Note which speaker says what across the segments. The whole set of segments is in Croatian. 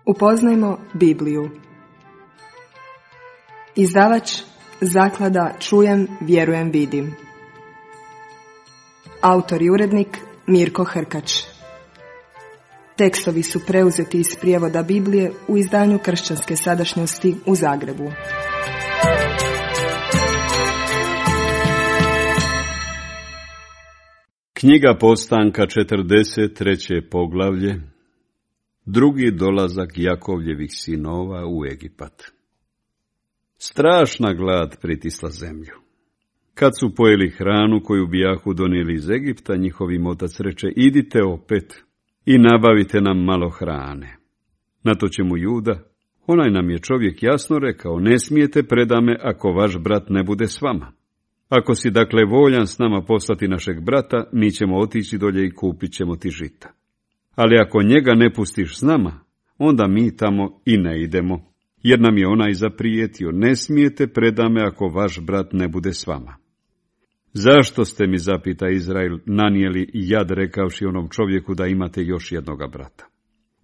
Speaker 1: Upoznajmo Bibliju. Izdavač Zaklada Čujem, vjerujem, vidim. Autor i urednik Mirko Hrkač. Tekstovi su preuzeti iz prijevoda Biblije u izdanju Kršćanske sadašnjosti u Zagrebu.
Speaker 2: Knjiga Postanka, 43. poglavlje. Drugi dolazak Jakovljevih sinova u Egipat. Strašna glad pritisla zemlju. Kad su pojeli hranu koju bijahu donijeli iz Egipta, njihov otac reče: idite opet i nabavite nam malo hrane. Na to će mu Juda: onaj nam je čovjek jasno rekao, ne smijete predame ako vaš brat ne bude s vama. Ako si dakle voljan s nama poslati našeg brata, mi ćemo otići dolje i kupit ćemo ti žita. Ali ako njega ne pustiš s nama, onda mi tamo i ne idemo, jer nam je onaj zaprijetio: ne smijete predame ako vaš brat ne bude s vama. Zašto ste mi, zapita Izrael, nanijeli jad rekavši onom čovjeku da imate još jednoga brata?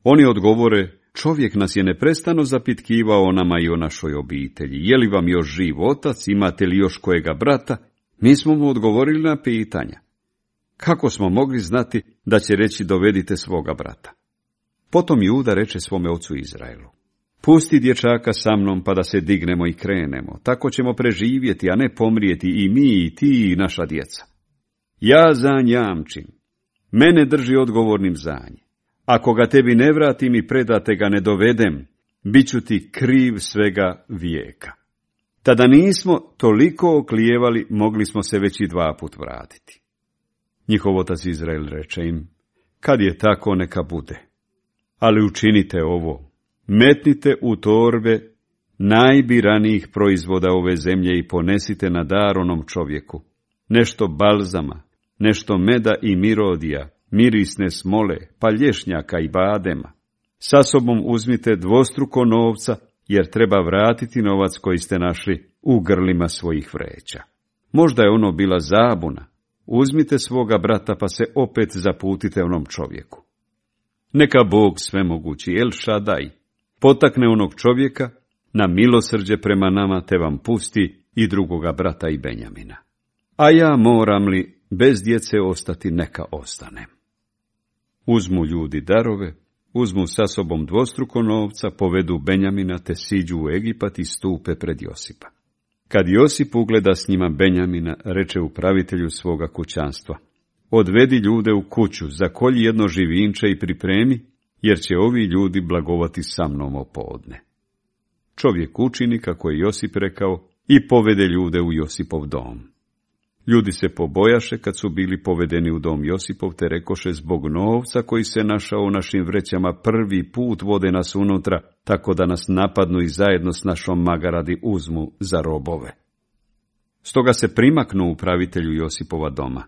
Speaker 2: Oni odgovore: čovjek nas je neprestano zapitkivao o nama i o našoj obitelji. Je li vam još živ otac, imate li još kojega brata? Mi smo mu odgovorili na pitanja. Kako smo mogli znati da će reći dovedite svoga brata? Potom Juda reče svome ocu Izraelu: pusti dječaka sa mnom pa da se dignemo i krenemo, tako ćemo preživjeti, a ne pomrijeti i mi i ti i naša djeca. Ja za nj jamčim, mene drži odgovornim za nj. Ako ga tebi ne vratim i predate ga ne dovedem, bit ću ti kriv svega vijeka. Tada nismo toliko oklijevali, mogli smo se već i 2 put vratiti. Njihov otac Izrael reče im: kad je tako, neka bude. Ali učinite ovo: metnite u torbe najbiranijih proizvoda ove zemlje i ponesite na dar onom čovjeku nešto balzama, nešto meda i mirodija, mirisne smole, pa lješnjaka i badema. Sa sobom uzmite dvostruko novca, jer treba vratiti novac koji ste našli u grlima svojih vreća. Možda je ono bila zabuna. Uzmite svoga brata pa se opet zaputite onom čovjeku. Neka Bog svemogući El Šadaj potakne onog čovjeka na milosrđe prema nama, te vam pusti i drugoga brata i Benjamina. A ja moram li bez djece ostati, neka ostanem. Uzmu ljudi darove, uzmu sa sobom dvostruko novca, povedu Benjamina te siđu u Egipat i stupe pred Josipa. Kad Josip ugleda s njima Benjamina, reče upravitelju svoga kućanstva: odvedi ljude u kuću, zakolji jedno živinče i pripremi, jer će ovi ljudi blagovati sa mnom opodne. Čovjek učini kako je Josip rekao i povede ljude u Josipov dom. Ljudi se pobojaše kad su bili povedeni u dom Josipov, te rekoše: zbog novca koji se našao u našim vrećama prvi put vode nas unutra, tako da nas napadnu i zajedno s našom magaradi uzmu za robove. Stoga se primaknu upravitelju Josipova doma,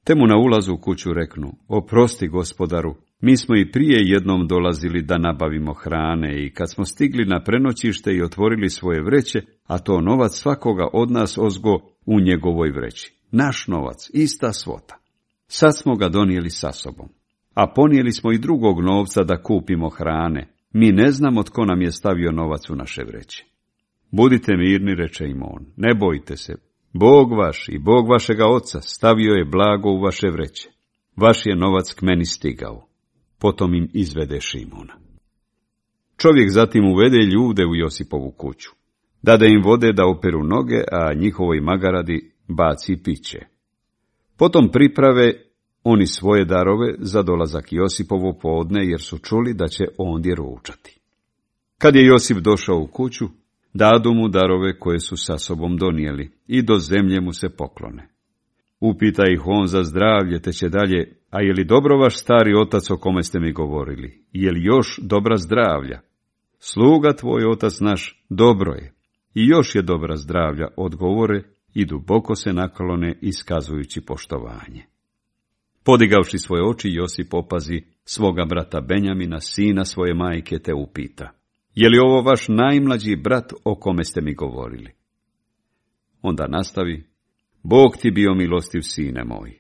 Speaker 2: te mu na ulazu u kuću reknu: oprosti, gospodaru, mi smo i prije jednom dolazili da nabavimo hrane i kad smo stigli na prenoćište i otvorili svoje vreće, a to novac svakoga od nas ozgo u njegovoj vreći. Naš novac, ista svota. Sad smo ga donijeli sa sobom, a ponijeli smo i drugog novca da kupimo hrane. Mi ne znamo tko nam je stavio novac u naše vreće. Budite mirni, reče im on, ne bojte se. Bog vaš i Bog vašega oca stavio je blago u vaše vreće. Vaš je novac k meni stigao. Potom im izvede Šimuna. Čovjek zatim uvede ljude u Josipovu kuću. Dade im vode da operu noge, a njihovoj magaradi baci piće. Potom priprave oni svoje darove za dolazak Josipovo podne, jer su čuli da će ondje ručati. Kad je Josip došao u kuću, dadu mu darove koje su sa sobom donijeli i do zemlje mu se poklone. Upita ih on za zdravlje, te će dalje: a je li dobro vaš stari otac o kome ste mi govorili? Je li još dobra zdravlja? Sluga tvoj otac naš dobro je i još je dobra zdravlja, odgovore i duboko se naklone iskazujući poštovanje. Podigavši svoje oči, Josip opazi svoga brata Benjamina, sina svoje majke, te upita: je li ovo vaš najmlađi brat o kome ste mi govorili? Onda nastavi: Bog ti bio milostiv, sine moj.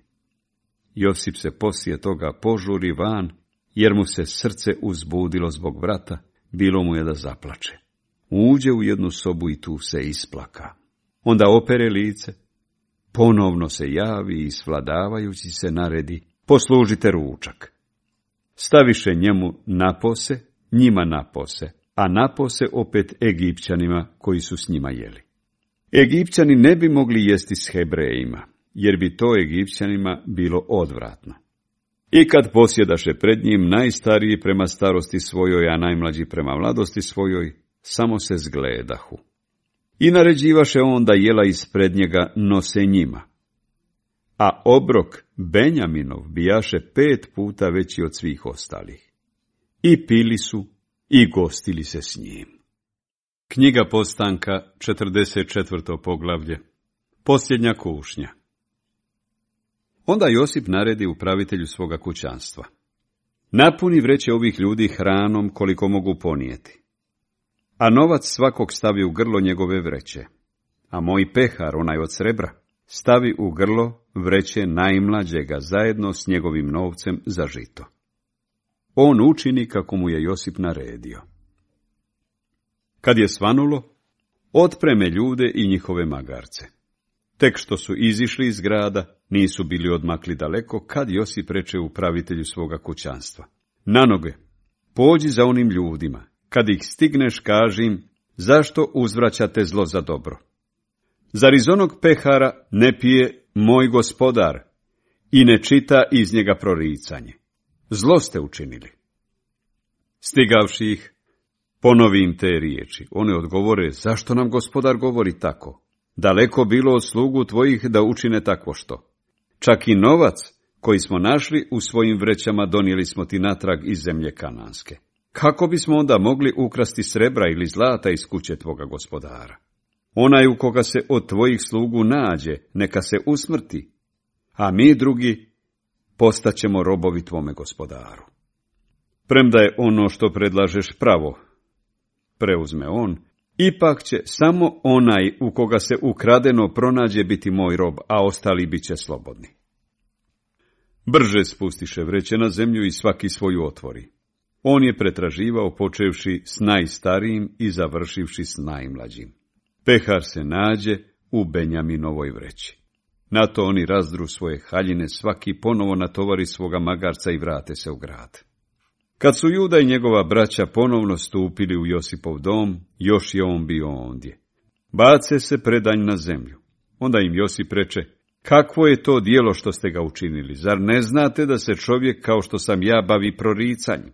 Speaker 2: Josip se poslije toga požuri van, jer mu se srce uzbudilo zbog brata, bilo mu je da zaplače. Uđe u jednu sobu i tu se isplaka. Onda opere lice, ponovno se javi i svladavajući se naredi, poslužite ručak. Staviše njemu napose, njima napose, a napose opet Egipćanima koji su s njima jeli. Egipćani ne bi mogli jesti s Hebrejima, jer bi to Egipćanima bilo odvratno. I kad posjedaše pred njim, najstariji prema starosti svojoj, a najmlađi prema mladosti svojoj, samo se zgledahu. I naređivaše on da jela ispred njega nose njima. A obrok Benjaminov bijaše 5 puta veći od svih ostalih. I pili su i gostili se s njim. Knjiga Postanka, 44. poglavlje. Posljednja kušnja. Onda Josip naredi upravitelju svoga kućanstva: napuni vreće ovih ljudi hranom koliko mogu ponijeti, a novac svakog stavi u grlo njegove vreće, a moj pehar, onaj od srebra, stavi u grlo vreće najmlađega zajedno s njegovim novcem za žito. On učini kako mu je Josip naredio. Kad je svanulo, otpreme ljude i njihove magarce. Tek što su izišli iz grada, nisu bili odmakli daleko, kad Josip reče upravitelju svoga kućanstva: na noge, pođi za onim ljudima, kad ih stigneš kaži im, zašto uzvraćate zlo za dobro? Zar iz onog pehara ne pije moj gospodar i ne čita iz njega proricanje? Zlo ste učinili. Stigavši ih, ponovi im te riječi. One odgovore: zašto nam gospodar govori tako? Daleko bilo od slugu tvojih da učine takvo što. Čak i novac koji smo našli u svojim vrećama donijeli smo ti natrag iz zemlje kananske. Kako bismo onda mogli ukrasti srebra ili zlata iz kuće tvoga gospodara? Onaj u koga se od tvojih slugu nađe, neka se usmrti, a mi drugi postaćemo robovi tvome gospodaru. Premda je ono što predlažeš pravo, preuzme on, ipak će samo onaj u koga se ukradeno pronađe biti moj rob, a ostali bit će slobodni. Brže spustiše vreće na zemlju i svaki svoju otvori. On je pretraživao počevši s najstarijim i završivši s najmlađim. Pehar se nađe u Benjaminovoj vreći. Na to oni razdru svoje haljine, svaki ponovo natovari svoga magarca i vrate se u grad. Kad su Juda i njegova braća ponovno stupili u Josipov dom, još je on bio ondje. Bace se predanj na zemlju. Onda im Josip reče: kakvo je to djelo što ste ga učinili? Zar ne znate da se čovjek kao što sam ja bavi proricanjem?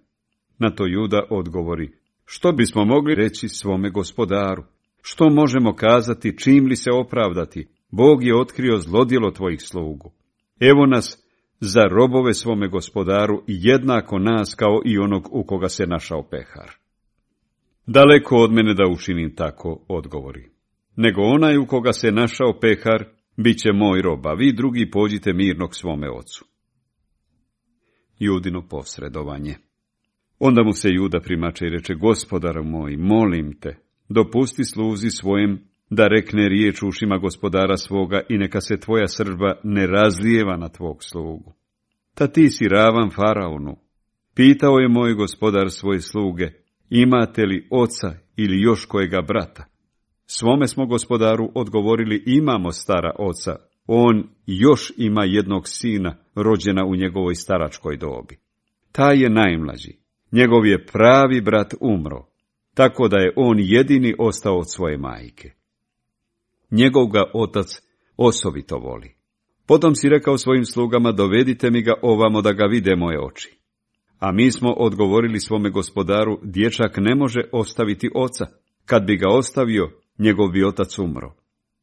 Speaker 2: Na to Juda odgovori: što bismo mogli reći svome gospodaru? Što možemo kazati, čim li se opravdati? Bog je otkrio zlodjelo tvojih slugu. Evo nas za robove svome gospodaru, jednako nas kao i onog u koga se našao pehar. Daleko od mene da učinim tako, odgovori. Nego onaj u koga se našao pehar, bit će moj rob, a vi drugi pođite mirno k svome ocu. Judino posredovanje. Onda mu se Juda primače i reče: gospodaru moj, molim te, dopusti sluzi svojem da rekne riječ ušima gospodara svoga i neka se tvoja srdba ne razlijeva na tvog slugu. Ta ti si ravan faraonu. Pitao je moj gospodar svoje sluge: imate li oca ili još kojega brata? Svome smo gospodaru odgovorili: imamo stara oca, on još ima jednog sina, rođena u njegovoj staračkoj dobi. Taj je najmlađi, njegov je pravi brat umro, tako da je on jedini ostao od svoje majke. Njegov ga otac osobito voli. Potom si rekao svojim slugama: dovedite mi ga ovamo da ga vide moje oči. A mi smo odgovorili svome gospodaru: dječak ne može ostaviti oca. Kad bi ga ostavio, njegov bi otac umro.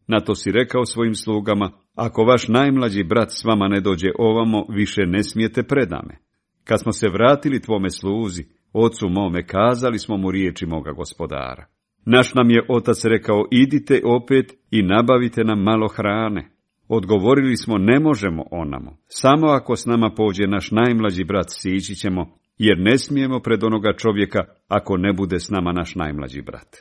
Speaker 2: Na to si rekao svojim slugama: ako vaš najmlađi brat s vama ne dođe ovamo, više ne smijete predame. Kad smo se vratili tvome sluzi, ocu mome, kazali smo mu riječi moga gospodara. Naš nam je otac rekao: idite opet i nabavite nam malo hrane. Odgovorili smo: ne možemo onamo, samo ako s nama pođe naš najmlađi brat, sići ćemo, jer ne smijemo pred onoga čovjeka ako ne bude s nama naš najmlađi brat.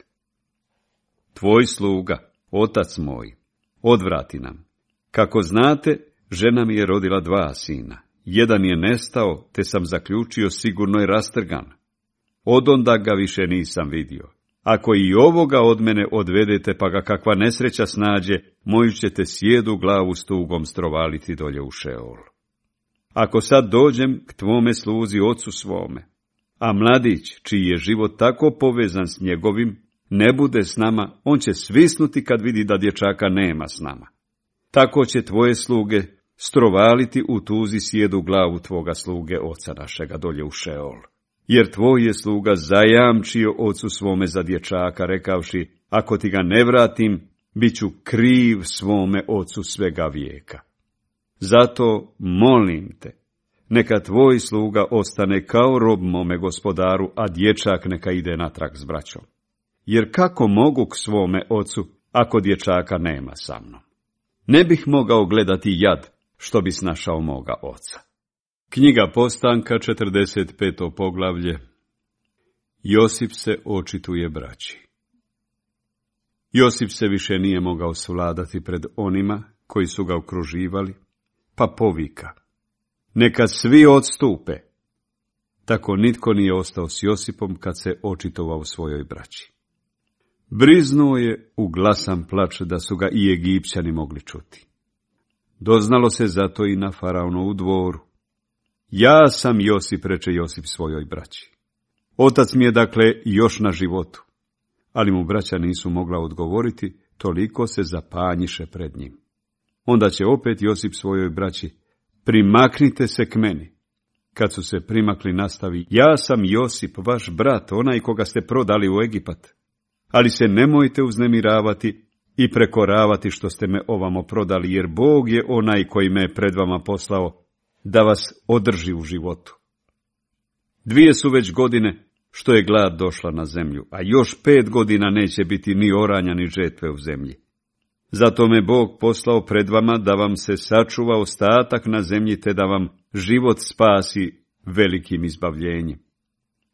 Speaker 2: Tvoj sluga, otac moj, odvrati nam. Kako znate, žena mi je rodila 2 sina. Jedan je nestao, te sam zaključio sigurno je rastrgan. odonda ga više nisam vidio. Ako i ovoga od mene odvedete, pa ga kakva nesreća snađe, moju ćete sjedu glavu s tugom strovaliti dolje u Šeol. Ako sad dođem k tvome sluzi ocu svome, a mladić, čiji je život tako povezan s njegovim, ne bude s nama, on će svisnuti kad vidi da dječaka nema s nama. Tako će tvoje sluge strovaliti u tuzi sjedu glavu tvoga sluge oca našega dolje u Šeol. Jer tvoj je sluga zajamčio ocu svome za dječaka, rekavši, ako ti ga ne vratim, bit ću kriv svome ocu svega vijeka. Zato molim te, neka tvoj sluga ostane kao rob mome gospodaru, a dječak neka ide natrag s braćom. Jer kako mogu k svome ocu, ako dječaka nema sa mnom? Ne bih mogao gledati jad, što bi snašao moga oca. Knjiga Postanka, 45. poglavlje. Josip se očituje braći. Josip se više nije mogao svladati pred onima koji su ga okruživali, pa povika: neka svi odstupe. Tako nitko nije ostao s Josipom kad se očitovao svojoj braći. Briznuo je u glasan plač da su ga i Egipćani mogli čuti. Doznalo se zato i na faraonovu dvoru. Ja sam Josip, reče Josip svojoj braći. Otac mi je dakle još na životu. Ali mu braća nisu mogla odgovoriti, toliko se zapanjiše pred njim. Onda će opet Josip svojoj braći: primaknite se k meni. Kad su se primakli, nastavi: ja sam Josip, vaš brat, onaj koga ste prodali u Egipat. Ali se nemojte uznemiravati i prekoravati što ste me ovamo prodali, jer Bog je onaj koji me je pred vama poslao da vas održi u životu. 2 su već godine što je glad došla na zemlju, a još 5 godina neće biti ni oranja ni žetve u zemlji. Zato me Bog poslao pred vama da vam se sačuva ostatak na zemlji, te da vam život spasi velikim izbavljenjem.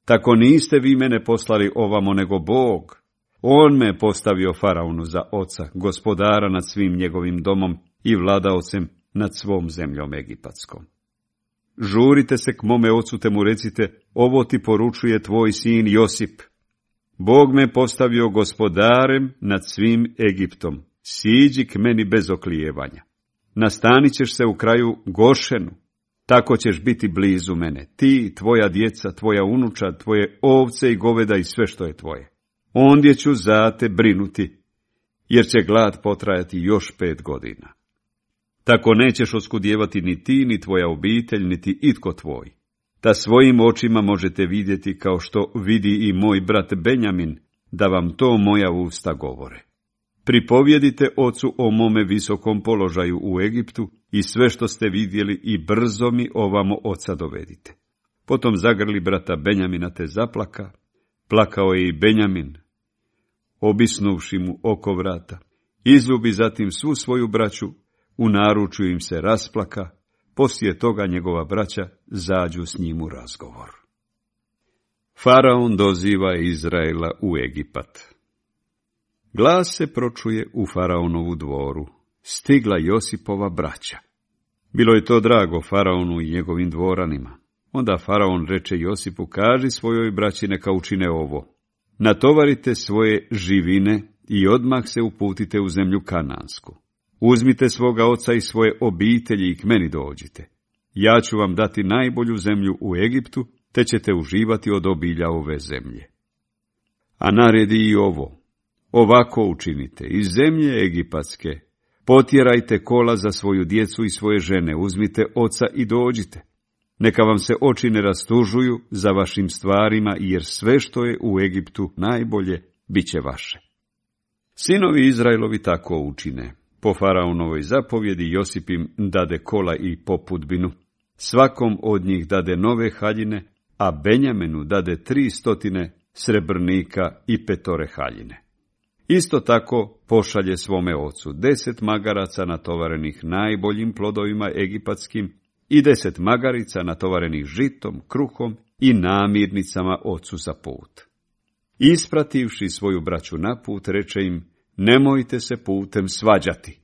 Speaker 2: Tako niste vi mene poslali ovamo, nego Bog. On me je postavio faraonu za oca, gospodara nad svim njegovim domom i vladaocem nad svom zemljom egipatskom. Žurite se k mome ocu, te mu recite: ovo ti poručuje tvoj sin Josip. Bog me postavio gospodarem nad svim Egiptom. Siđi k meni bez oklijevanja. Nastanit ćeš se u kraju Gošenu. Tako ćeš biti blizu mene, ti, tvoja djeca, tvoja unučad, tvoje ovce i goveda i sve što je tvoje. Ondje ću za te brinuti, jer će glad potrajati još 5 godina. Tako nećeš oskudjevati ni ti, ni tvoja obitelj, niti itko tvoj. Da svojim očima možete vidjeti kao što vidi i moj brat Benjamin, da vam to moja usta govore. Pripovjedite ocu o mome visokom položaju u Egiptu i sve što ste vidjeli i brzo mi ovamo oca dovedite. Potom zagrli brata Benjamina te zaplaka. Plakao je i Benjamin, obisnuvši mu oko vrata. Izljubi zatim svu svoju braću, u naručju im se rasplaka, poslije toga njegova braća zađu s njim u razgovor. Faraon doziva Izraela u Egipat. Glas se pročuje u faraonovu dvoru. Stigla Josipova braća. Bilo je to drago faraonu i njegovim dvoranima. Onda faraon reče Josipu: kaži svojoj braći neka učine ovo. Natovarite svoje živine i odmah se uputite u zemlju Kanansku. Uzmite svoga oca i svoje obitelji i k meni dođite. Ja ću vam dati najbolju zemlju u Egiptu, te ćete uživati od obilja ove zemlje. A naredi i ovo: ovako učinite: iz zemlje egipatske potjerajte kola za svoju djecu i svoje žene, uzmite oca i dođite. Neka vam se oči ne rastužuju za vašim stvarima, jer sve što je u Egiptu najbolje bit će vaše. Sinovi Izraelovi tako učine. Po faraonovoj zapovjedi Josip im dade kola i popudbinu. Svakom od njih dade nove haljine, a Benjaminu dade 300 srebrnika i 5 haljine. Isto tako pošalje svome ocu 10 magaraca natovarenih najboljim plodovima egipatskim i 10 magarica natovarenih žitom, kruhom i namirnicama ocu za put. Isprativši svoju braću na put, reče im: nemojte se putem svađati.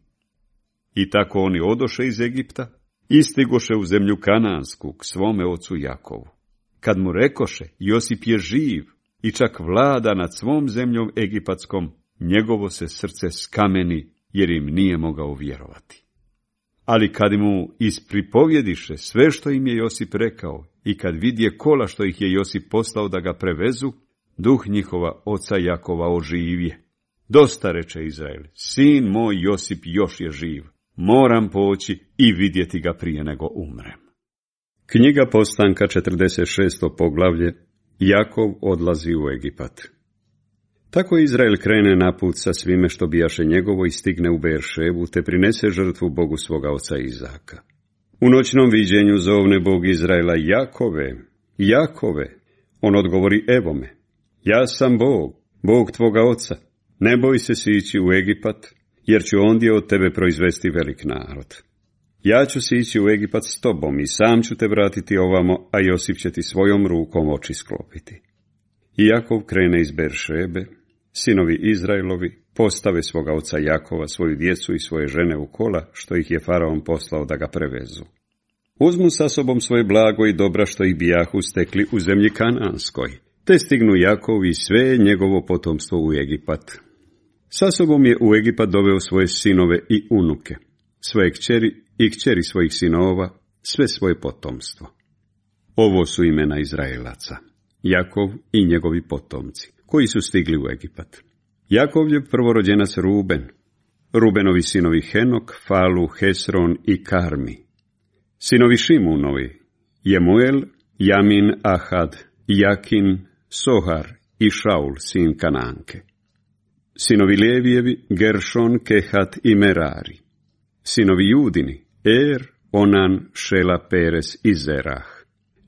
Speaker 2: I tako oni odoše iz Egipta i stigoše u zemlju Kanansku k svome ocu Jakovu. kad mu rekoše, Josip je živ i čak vlada nad svom zemljom egipatskom, njegovo se srce skameni, jer im nije mogao vjerovati. Ali kad mu ispripovjediše sve što im je Josip rekao i kad vidje kola što ih je Josip poslao da ga prevezu, duh njihova oca Jakova oživje. Dosta, reče Izrael, sin moj Josip još je živ, moram poći i vidjeti ga prije nego umrem. Knjiga Postanka, 46. poglavlje. Jakov odlazi u Egipat. Tako Izrael krene na put sa svime što bijaše njegovo i stigne u Beeršebu, te prinese žrtvu Bogu svoga oca Izaka. U noćnom viđenju zovne Bog Izraela, Jakove, Jakove. On odgovori, evo me, ja sam Bog, Bog tvoga oca. Ne boj se sići u Egipat, jer ću ondje od tebe proizvesti velik narod. Ja ću sići u Egipat s tobom i sam ću te vratiti ovamo, a Josip će ti svojom rukom oči sklopiti. I Jakov krene iz Beeršebe, sinovi Izraelovi postave svoga oca Jakova, svoju djecu i svoje žene u kola, što ih je faraon poslao da ga prevezu. Uzmu sa sobom svoje blago i dobra što ih bijahu stekli u zemlji Kananskoj, te stignu Jakov i sve njegovo potomstvo u Egipat. Sa sobom je u Egipat doveo svoje sinove i unuke, svoje kćeri i kćeri svojih sinova, sve svoje potomstvo. Ovo su imena Izraelaca, Jakov i njegovi potomci, koji su stigli u Egipat. Jakov je prvorođenac Ruben, Rubenovi sinovi Henok, Falu, Hesron i Karmi. Sinovi Šimunovi, Jemuel, Jamin, Ahad, Jakin, Sohar i Šaul, sin Kananke. Sinovi Levijevi, Geršon, Kehat i Merari. Sinovi Judini, Er, Onan, Šela, Peres i Zerah.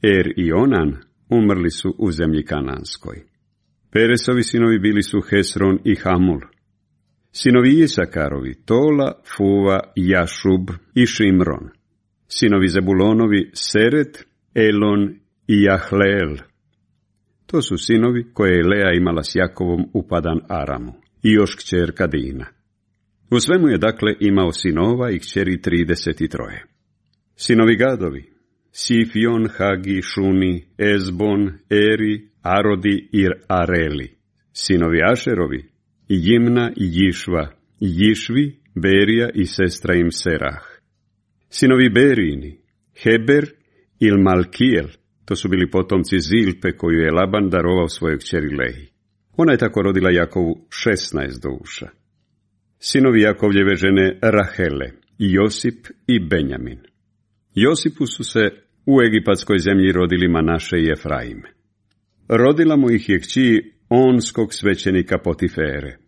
Speaker 2: Er i Onan umrli su u zemlji Kananskoj. Peresovi sinovi bili su Hesron i Hamul. Sinovi Isakarovi, Tola, Fuva, Jašub i Šimron. Sinovi Zebulonovi, Seret, Elon i Jahleel. To su sinovi koje je Lea imala s Jakovom u Padan Aramu i još kćerka Dina. U svemu je dakle imao sinova i kćeri 33. Sinovi Gadovi, Sifion, Hagi, Šuni, Ezbon, Eri, Arodi i Areli. Sinovi Ašerovi, Jimna i Jišva, Jišvi, Berija i sestra im Serah. Sinovi Berini, Heber i Malkijel, to su bili potomci Zilpe koju je Laban darovao svojoj kćeri Lehi. Ona je tako rodila Jakovu 16 duša. Sinovi Jakovljeve žene Rahele, Josip i Benjamin. Josipu su se u egipatskoj zemlji rodili Manaše i Efraim. Rodila mu ih je kći onskog svećenika Potifere.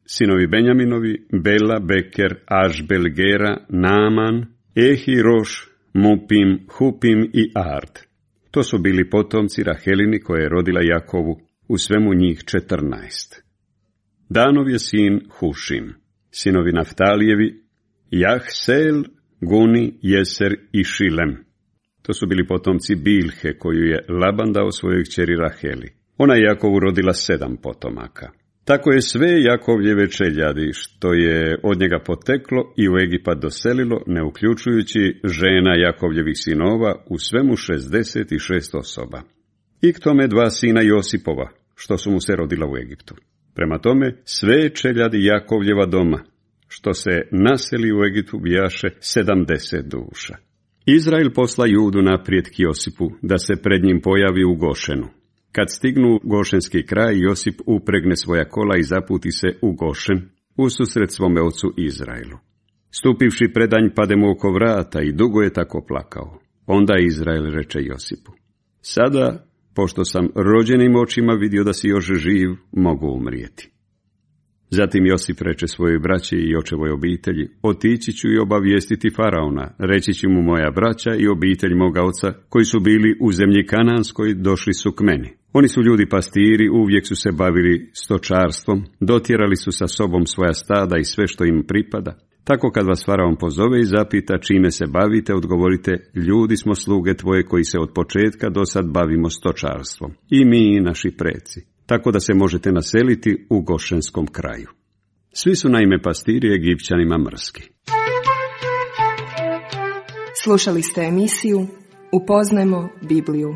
Speaker 2: Sinovi Benjaminovi, Bela, Beker, Ašbel, Gera, Naaman, Ehi, Roš, Mupim, Hupim i Ard. To su bili potomci Rahelini koje je rodila Jakovu, u svemu njih 14. Danov je sin Hušim. Sinovi Naftalijevi, Jahsel, Guni, Jeser i Šilem. To su bili potomci Bilhe, koju je Laban dao svojoj kćeri Raheli. Ona je Jakovu rodila 7 potomaka. Tako je sve Jakovljeve čeljadi, što je od njega poteklo i u Egipat doselilo, ne uključujući žena Jakovljevih sinova, u svemu 66 osoba. I k tome 2 sina Josipova, što su mu se rodila u Egiptu. Prema tome, sve čeljadi Jakovljeva doma, što se naseli u Egiptu, bijaše 70 duša. Izrael posla Judu naprijed k Josipu, da se pred njim pojavi u Gošenu. Kad stignu Gošenski kraj, Josip upregne svoja kola i zaputi se u Gošen, ususret svome ocu Izraelu. Stupivši predanj, pade mu oko vrata i dugo je tako plakao. Onda Izrael reče Josipu: Sada, pošto sam rođenim očima vidio da si još živ, mogu umrijeti. Zatim Josip reče svojoj braći i očevoj obitelji: Otići ću i obavijestiti faraona, reći ću mu moja braća i obitelj moga oca, koji su bili u zemlji Kananskoj, došli su k meni. Oni su ljudi pastiri, uvijek su se bavili stočarstvom, dotjerali su sa sobom svoja stada i sve što im pripada. Tako kad vas faraon pozove i zapita čime se bavite, odgovorite: ljudi smo sluge tvoje koji se od početka do sad bavimo stočarstvom, i mi i naši preci. Tako da se možete naseliti u Gošenskom kraju. Svi su naime pastiri Egipćanima mrski.
Speaker 1: Slušali ste emisiju Upoznajmo Bibliju.